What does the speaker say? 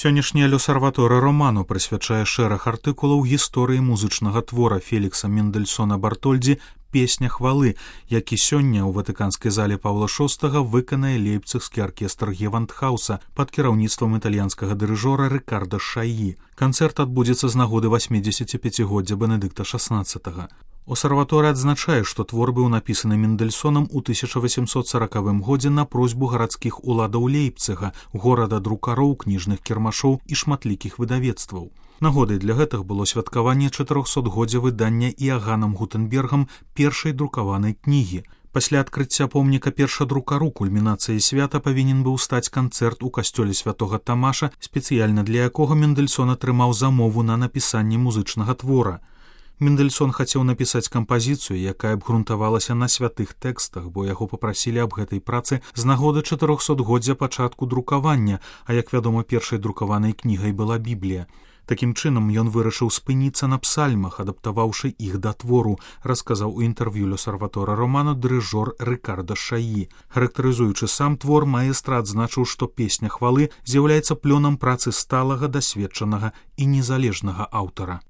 Сённяшняя L'Osservatore Romano прысвячае шэраг артыкулаў гісторыі музычнага твора Фелікса Мендельсона Бартольдзі «Песня хвалы», які сёння ў ватыканскай зале Паўла VI выканае лейпцыгскі аркестр Гевандхауса пад кіраўніцтвам італьянскага дырыжора Рыкарда Шаі. Канцэрт адбудзецца з нагоды 85-годдзя Бенедыкта XVI. Осерваторы адзначае, што твор быў напісаны Мендельсонам у 1840 годзе на просьбу гарадскіх уладаў Лейпцыга, горада друкароў, кніжных кірмашоў і шматлікіх выдавецтваў. Нагодай для гэтых было святкаванне 400-годдзя выдання Іаганам Гутенбергам першай друкаванай кнігі. Пасля адкрыцця помніка першадрукару кульмінацыяй свята павінен быў стаць канцэрт у касцёле святога Тамаша, спецыяльна для якога Мендельсон атрымаў замову на напісанне музычнага твора. Мендельсон хацеў напісаць кампазіцыю, якая абгрунтавалася на святых тэкстах, бо яго папрасілі аб гэтай працы з нагоды 400-годдзя пачатку друкавання, а як вядома, першай друкаванай кнігай была Біблія. Такім чынам ён вырашыў спыніцца на псальмах, адаптаваўшы іх да твору, расказаў у інтэрв'ю L'Osservatore Romano дырыжор Рыкарда Шаі. Характарызуючы сам твор, маэстра адзначыў, што «Песня хвалы» з'яўляецца плёнам працы сталага, дасведчанага і незалежнага аўтара.